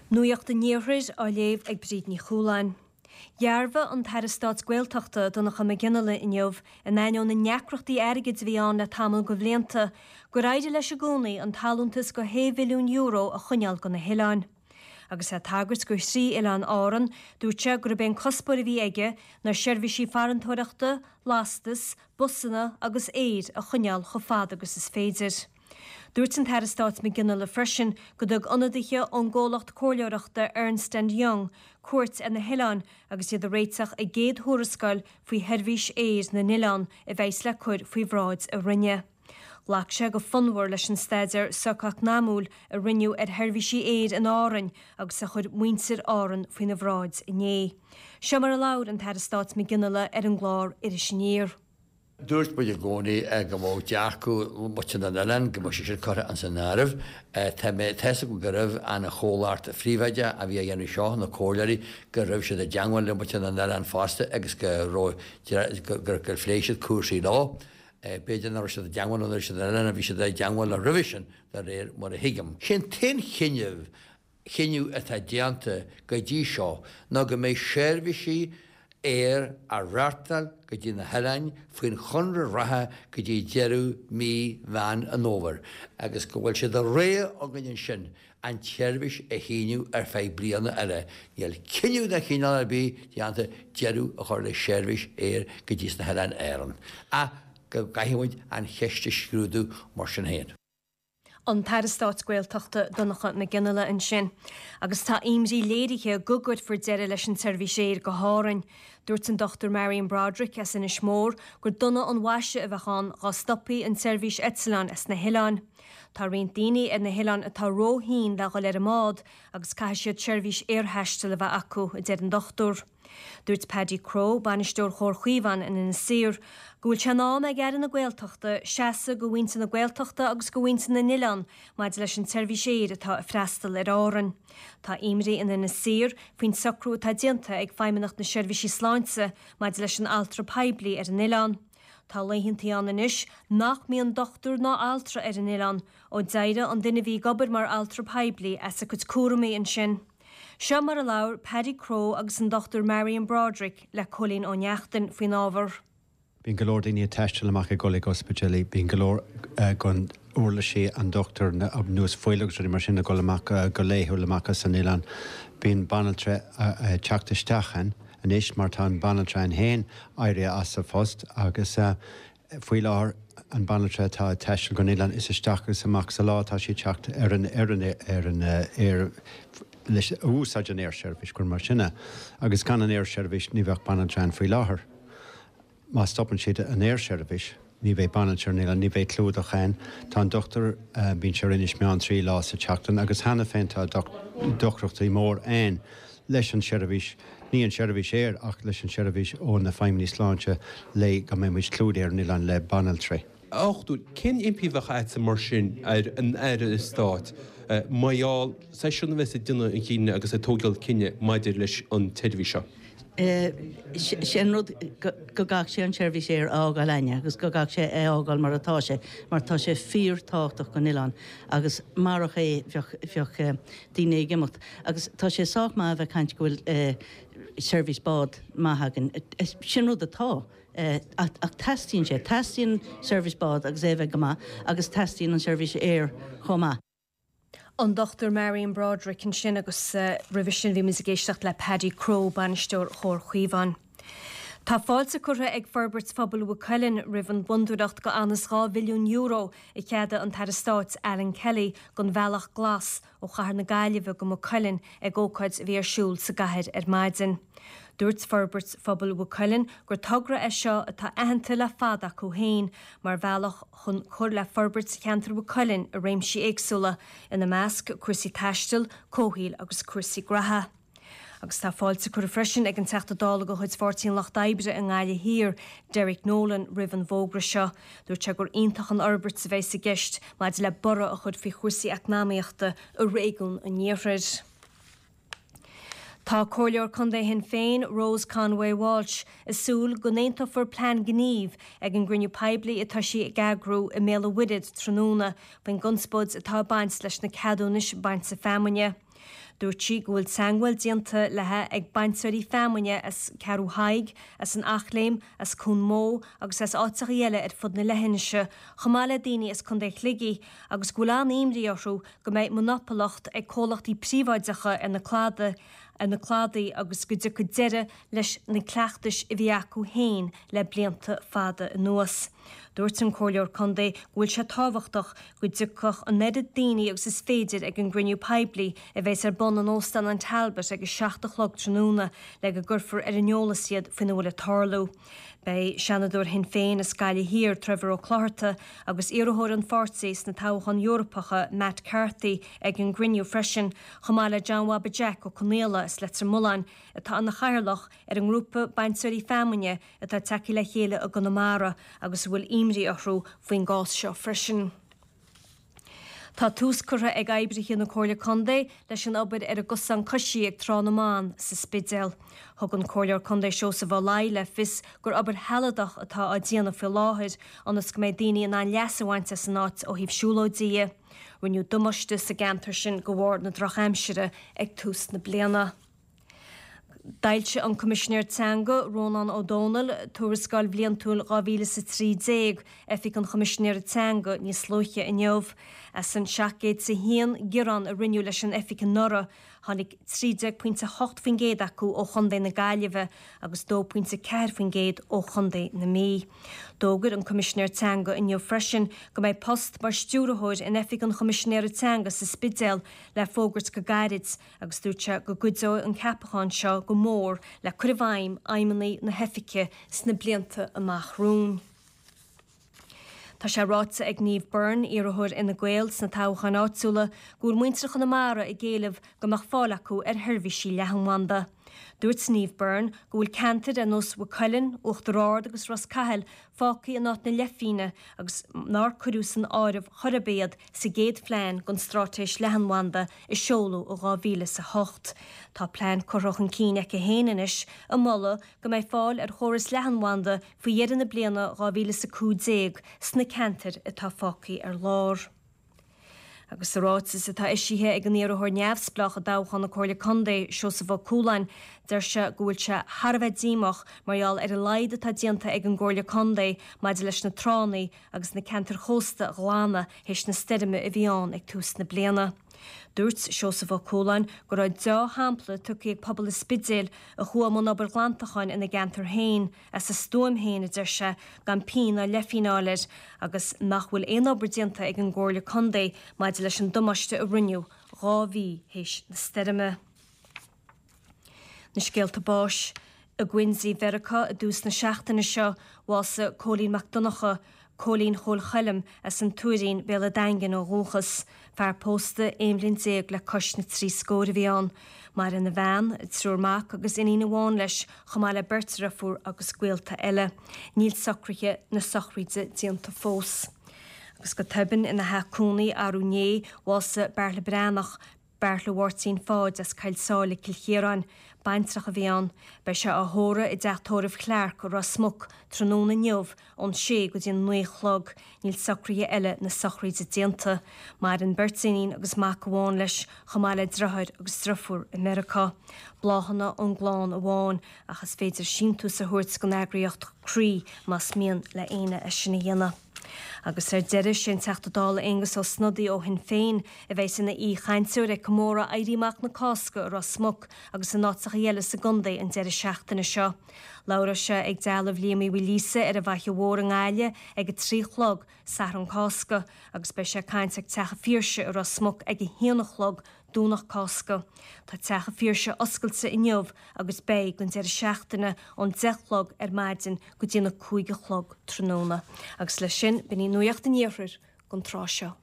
Nuacht an Iarthair á léamh ag Bríd Ní Chualáin. Dhearbhaigh an tAire Stáit Gaeltachta, Donncha Mac Fhionnghaile inniu, in ainneoin na ndeacrachtaí airgid a bhí ann le tamall de bhlianta, gur éirigh leis i gcónaí an t-allúntas de €6 mhilliún a choinneáil do na hoileáin. Agus é ag tagairt do thrí oileán Árann, dúirt sé gurb é an cuspóir a bhí aige ná seirbhísí farantóireachta, lastas, busanna agus aeir a choinneáil chomh fada agus is féidir. Dúirt an tAire Stáit Mac Fhionnghaile freisin go dtug ionadaithe ón gcomhlacht comhairleoireachta Ernst and Young cuairt ar na hoileáin agus iad ag réiteach a gcéad thuarascáil faoi sheirbhís aeir na n-oileán a bheas le cur faoi bhráid a Roinne. Ghlac sé go fonnmhar leis an staidéar socheacnamúil a rinneadh ar sheirbhísí aeir in Árainn agus a chuir muintir Árann faoina bhráid inné. Seo mar a labhair an tAire Stáit Mac Fhionnghaile ar an gclár Iris Aniar. Dúirt muid i gcónaí go mbeadh dearcadh mhuintir na n-oileán, go mbeadh sé sin curtha ins an áireamh. Tá mé, tá 'fhios agam go raibh an chomhlacht phríobháideach a bhí á dhéanamh seo, na comhairleoirí, go raibh siad i dteangmháil le muintir na n-oileán fosta agus go raibh, gur, gur phléigh siad cúrsaí leo. B'fhéidir nach raibh siad i dteangmháil le muintir na n-oileán, bhí siad i dteangmháil leo roimhe sin, de réir mar a thuigim. Sé'n t-aon chinneadh chinneadh atá déanta go dtí seo ná go mbeidh seirbhísí aeir á reáchtáil go dtí na hoileáin faoin chonradh reatha go dtí deireadh mí Mheán an Fhómhair agus go bhfuil sé de rogha againn ansin an tseirbhís a shíneadh ar feadh bliana eile. Níl cinneadh de chineál ar bith déanta deireadh a chur le seirbhís aeir go dtí sna hOileáin Árann ach go gcaithfidh muid an cheist a scrúdú mar sin féin. An tAire Stáit Gaeltachta Donncha Mac Fhionnghaile ansin. Agus tá imní léirithe go gcuirfear deireadh leis an tseirbhís aeir go hÁrainn. Dúirt an Dr Marion Broderick as Inis Mór gur dona an mhaise a bheadh ann dhá stopfaí an tseirbhís eitleáin as na hoileáin. Tá roinnt daoine ar na hoileáin atá ró-thinn le dhul ar an mbád agus caithfidh siad seirbhís aerthaistil a bheith acu, a deir an dochtúir. Dúirt Paddy Crowe, bainisteoir Chomhar Chaomhán in Inis Oírr, go bhfuil sé in am ag Aire na Gaeltachta seasamh do mhuintir na Gaeltachta agus do mhuintir na n-oileán maidir leis an tseirbhís aeir atá ag freastal ar Árainn. Tá imní in Inis Oírr faoin socrú atá déanta ag Feidhmeannacht na Seirbhísí Sláinte maidir leis an altra poiblí ar an oileán. Tá laethantaí ann anois nach mbíonn dochtúir ná altra ar an oileán ó d'éirigh an duine a bhí ag obair mar altra poiblí as a cuid cúramaí ansin. Seo mar a labhair Paddy Crowe agus an Dr Marion Broderick le Cóilín Ó Neachtain faoin ábhar. Bíonn go leor daoine ag taisteal amach ag dul ag ospidéilí, bíonn go leor den uirlisí, an dochtúir, ar nós fuil agus rudaí mar sin ag dul amach go laethúil amach as an oileán. Bíonn banaltra ag teacht isteach ann anois mar tá an banaltra ann féin éirithe as a phost agus Faoi láthair, an banaltra atá ag taisteal gon oileán, is isteach agus amach sa lá atá sí ag teacht ar an ar an ar an aer leis a úsáid an aersheirbhís, gur mar sin é. Agus gan an aersheirbhís ní bheadh banaltra ann faoi láthair. Má stopann siad an aersheirbhís, ní bheidh banaltra ar an oileán, ní bheidh clúdach ann. Tá an dochtúir, bíonn sé ar Inis Meáin 3 lá sa tseachtain agus cheana féin tá deacrachtaí mór ann leis an seirbhís. Ní an seirbhís aeir ach leis an seirbhís ó na feidhmeannaigh sláinte le go mbeidh muid clúdaithe ar an oileán le banaltraí. A dhochtúir, cén impí a bheadh a'dsa mar sin ar an Aire Stáit mar gheall seisean a bheas ag déanamh an chinnidh agus ag tógáil cinneadh maidir leis an tseirbhís seo? Sé an rud go gcaithfidh sé an seirbhís aeir a fhágáil a'inne agus go gcaithfidh sé é a fhágáil mar atá sé mar tá sé fíor tábhachtach don oileán agus marach é bheadh bheadh daoine ag imeacht. Agus tá sé sách maith a bheith ag caint go bhfuil seirbhís bád maith againn. Sin rud atá. Ach teastaíonn sé. Teastaíonn seirbhís bád agus é a bheith go maith agus teastaíonn an seirbhís aeir chomh maith. An Dr Marion Broderick ansin agus roimhe sin bhí muid ag éisteacht le Paddy Crowe, bainisteoir Chomhar Chaomhán. Tá fáilte curtha ag Forbairt Phobail Mhaigh Cuilinn roimh an bhfondúireacht de anuas €2 mhilliún a cheadaigh an tAire Stáit Alan Kelly don Bhealach Glas ó chathair na Gaillimhe go Maigh Cuilinn ag ócáid a bhí ar siúl sa gcathair ar maidin. Dúirt Forbairt Phobail Mhaigh Cuilinn gur togra é seo atá aitheanta le fada acu féin mar bhealach chun cur le forbairt cheantar Mhaigh Cuilinn i réimsí éagsúla, ina measc cúrsaí taistil, comhshaoil agus cúrsaí graithe. Agus tá fáilte curtha freisin ag an Teachta Dála de chuid Pháirtí an Lucht Oibre i nGaillimh Thiar, Derek Nolan, roimh an bhfógra seo. Dúirt sé gur iontach an fhorbairt a bheas i gceist maidir le borradh a chur faoi chúrsaí eacnamaíochta i réigiún an Iarthair. Tá Comhairleoir Contae Shinn Féin, Rose Conway Walsh, ag súil go n-aontófar plean gnímh ag an gcruinniú poiblí atá sí ag eagrú i mBéal an Mhuirthead tráthnóna faoin gconspóid atá ag baint leis na ceadúnais bainte feamainne. Dúirt sí go bhfuil teangmháil déanta léi ag bainteoirí feamainne as Ceathrú Thaidhg, as an Eachléim, as Cuan Mó agus as áiteachaí eile ar fud na leithinise, chomh maith le daoine as Contae Shligigh, agus go bhfuil an-imní orthu go mbeidh monopalacht ag comhlachtaí príobháideacha ar na cladaigh ar na cladaí agus go dtiocfaidh deireadh leis na cleachtais a bhí acu féin le blianta fada anuas. Dúirt an Comhairleoir Contae go bhfuil sé tábhachtach go dtiocfadh an oiread daoine agus is féidir ag an gcruinniú poiblí a bheas ar bun in Óstán an Talbot ag 7 a chlog tráthnóna le go gcuirfear ar an eolas iad faoina bhfuil ag tarlú. Beidh Seanadóir Shinn Féin as Gaillimh Thiar, Trevor Ó Clochartaigh, agus iarrthóir an pháirtí sna toghcháin Eorpacha, Matt Carthy, ag an gcruinniú freisin, chomh maith le John Bhaba Jack Ó Conaola as Leitir Mealláin, atá ina chathaoirleach ar an ngrúpa bainteoirí feamainne atá tagtha le chéile i gConamara agus a bhfuil imní orthu faoin gcás seo freisin. Tá tús curtha ag oibrithe na Comhairle Contae leis an obair ar an gcosán coisí ag Trá na mBan sa Spidéal. Thug an Comhairleoir Contae Seosamh Ó Laoi le fios gur obair shealadach atá á déanamh faoi láthair ionas go mbeidh daoine in ann leas a bhaint as an áit ó thaobh siúlóidí dhe. Rinneadh damáiste sa gceantar sin de bharr na drochaimsire ag tús na bliana. D'fhoilsigh an Coimisinéir Teanga, Rónán Ó Domhnaill, Tuarascáil Bhliantúil 2013 Oifig an Choimisinéara Teanga níos luaithe inniu. As an 701 gearán a rinneadh leis an oifig anuraidh, tháinig 13.8% acu ó chontae na Gaillimhe agus 2.4% ó chontae na Mí. D'fhógair an Coimisinéir Teanga inniu freisin go mbeidh post mar stiúrthóir in Oifig an Choimisinéara Teanga sa Spidéal le fógairt go gairid. agus dúirt sé go gcuideoidh an ceapachán seo go mór le cur i bhfeidhm aidhmeanna na hoifige sna blianta amach romhainn. Tá sé ráite ag Niamh Byrne, iarrthóir Fhine Gael sna toghcháin áitiúla, go bhfuil muintir Chonamara ag éileamh go mbeadh fáil acu ar sheirbhísí leathanbhanda. Dúirt Niamh Byrne go bhfuil ceantair ar nós Mhaigh Cuilinn, Uachtar Ard agus Ros Cathail fágtha in áit na leithphingne agus nár cuireadh san áireamh chor ar bith iad sa gcéad phlean don straitéis leathanbhanda a seoladh i 2008. Tá plean curtha chun cinn aici féin anois ag moladh go mbeidh fáil ar chóras leathanbhanda faoi dheireadh na bliana 2015 sna ceantair atá fágtha ar lár. Agus sa ráiteas atá eisithe ag an iarrthóir neamhspleách i dtoghchán na Comhairle Contae, Seosamh Ó Cualáin, deir sé go bhfuil sé thar a bheith díomách mar gheall ar a laghad atá déanta ag an gComhairle Contae maidir leis na tránna agus na ceantair chósta a ghlanadh théis na stoirme a bhí ann ag tús na bliana. Dúirt Seosamh Ó Cualáin go raibh deá-shampla tugtha ag pobal an Spidéil a chuaigh i mbun obair ghlantacháin ina gceantar féin, As a stuaim féin, a deir sé, gan pingin ná leithphingin a fháil air, agus nach bhfuil aon obair déanta ag an gComhairle Contae maidir leis an damáiste a rinneadh 2 mhí théis na stoirme. Na scéalta báis. I Quincy, Mheiriceá i dtús na seachtaine seo, bhásaigh Cóilín Mac Donncha, Cóilín Chóil Choilm, as an Tuairín, Béal an Daingin ó dhúchas. Fear pósta 11 bhliain le cois na dtrí scór a bhí ann. Maireann a bhean, triúr mac agus iníon amháin leis, chomh maith le beirt dheirfiúr agus gaolta eile. Níl socruithe na sochraide déanta fós. Agus go tobann ina theach cónaí arú inné, bhásaigh Beartla Breathnach, Beartla Mháirtín Pháid as Coill Sáile, Cill Chiaráin. Baintreach a bhí ann. Beidh sé á thórramh i dteach tórraimh Clarke i Ros Muc tráthnóna inniu ón sé go dtí an 9 a chlog. Níl socruithe eile na sochraide déanta. Maireann beirt iníon agus mac amháin leis, chomh maith le deartháir agus driofúr i Meiriceá. Bláthanna ón gclann amháin, ach is féidir síntiús a thabhairt don eagraíocht Croí más mian le éinne é sin a dhéanamh. Agus ar deireadh, sé an Teachta Dála Aengus Ó Snodaigh ó Shinn Féin a bheas ina aoi-chainteoir ag comóradh Éirí Amach na Cásca i Ros Muc agus in áiteacha eile sa gcontae an deireadh seachtaine seo. Labhróidh sé ag dealbh Liam Uí Mhaoilíosa ar an bhFaiche Mhór i nGaillimh ag a 3 a chlog, Satharn Cásca, agus beidh sé ag caint ag Teach an Phiarsaigh i Ros Muc ag a haon a chlog, Domhnach Cásca. Tá Teach an Phiarsaigh oscailte inniu agus beidh don deireadh seachtaine ón 10 a chlog ar maidin go dtí na 5 a chlog tráthnóna. Agus leis sin, b'in í Nuacht an Iarthair don tráth seo.